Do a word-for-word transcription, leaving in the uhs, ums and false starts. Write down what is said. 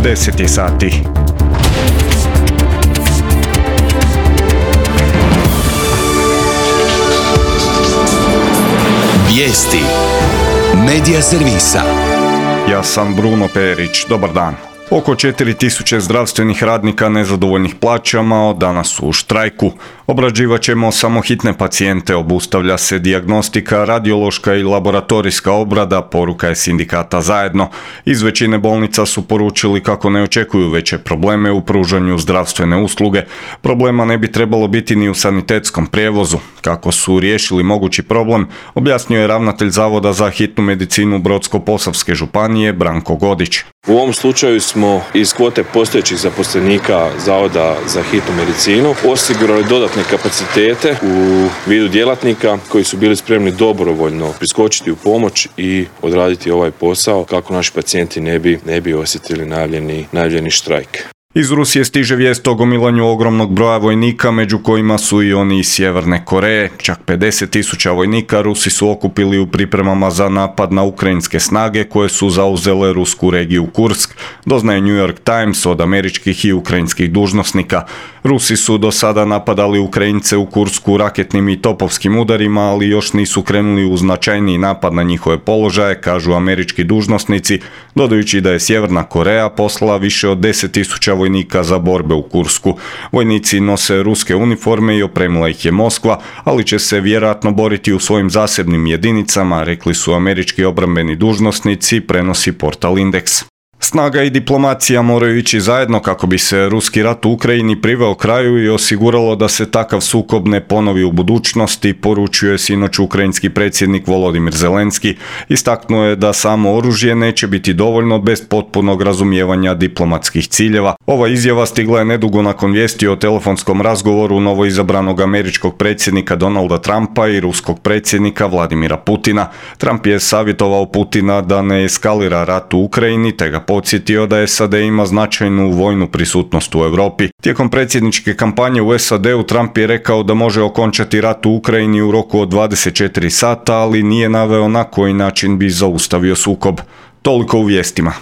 deset je sati. Vijesti Medija servisa. Ja sam Bruno Perić, dobar dan. Oko četiri tisuće zdravstvenih radnika nezadovoljnih plaćama od danas su u štrajku. Obrađivat ćemo samo hitne pacijente, obustavlja se dijagnostika, radiološka i laboratorijska obrada, poruka je sindikata Zajedno. Iz većine bolnica su poručili kako ne očekuju veće probleme u pružanju zdravstvene usluge. Problema ne bi trebalo biti ni u sanitetskom prijevozu. Kako su riješili mogući problem, objasnio je ravnatelj Zavoda za hitnu medicinu Brodsko-posavske županije Branko Godić. U ovom slučaju smo iz kvote postojećih zaposlenika Zavoda za hitnu medicinu osigurali dodatne kapacitete u vidu djelatnika koji su bili spremni dobrovoljno priskočiti u pomoć i odraditi ovaj posao kako naši pacijenti ne bi, ne bi osjetili najavljeni, najavljeni štrajk. Iz Rusije stiže vijest o gomilanju ogromnog broja vojnika, među kojima su i oni iz Sjeverne Koreje. Čak pedeset tisuća vojnika Rusi su okupili u pripremama za napad na ukrajinske snage koje su zauzele rusku regiju Kursk, doznaje New York Times od američkih i ukrajinskih dužnosnika. Rusi su do sada napadali Ukrajince u Kursku raketnim i topovskim udarima, ali još nisu krenuli u značajniji napad na njihove položaje, kažu američki dužnosnici, dodajući da je Sjeverna Koreja poslala više od deset tisuća vojnika za borbe u Kursku. Vojnici nose ruske uniforme i opremila ih je Moskva, ali će se vjerojatno boriti u svojim zasebnim jedinicama, rekli su američki obrambeni dužnosnici, prenosi portal Indeks. Snaga i diplomacija moraju ići zajedno kako bi se ruski rat u Ukrajini priveo kraju i osiguralo da se takav sukob ne ponovi u budućnosti, poručuje sinoć ukrajinski predsjednik Volodimir Zelenski. Istaknuo je da samo oružje neće biti dovoljno bez potpunog razumijevanja diplomatskih ciljeva. Ova izjava stigla je nedugo nakon vijesti o telefonskom razgovoru novoizabranog američkog predsjednika Donalda Trumpa i ruskog predsjednika Vladimira Putina. Trump je savjetovao Putina da ne eskalira rat u Ukrajini, te ga podsjetio da S A D ima značajnu vojnu prisutnost u Europi. Tijekom predsjedničke kampanje u S A D-u Trump je rekao da može okončati rat u Ukrajini u roku od dvadeset četiri sata, ali nije naveo na koji način bi zaustavio sukob. Toliko u vijestima.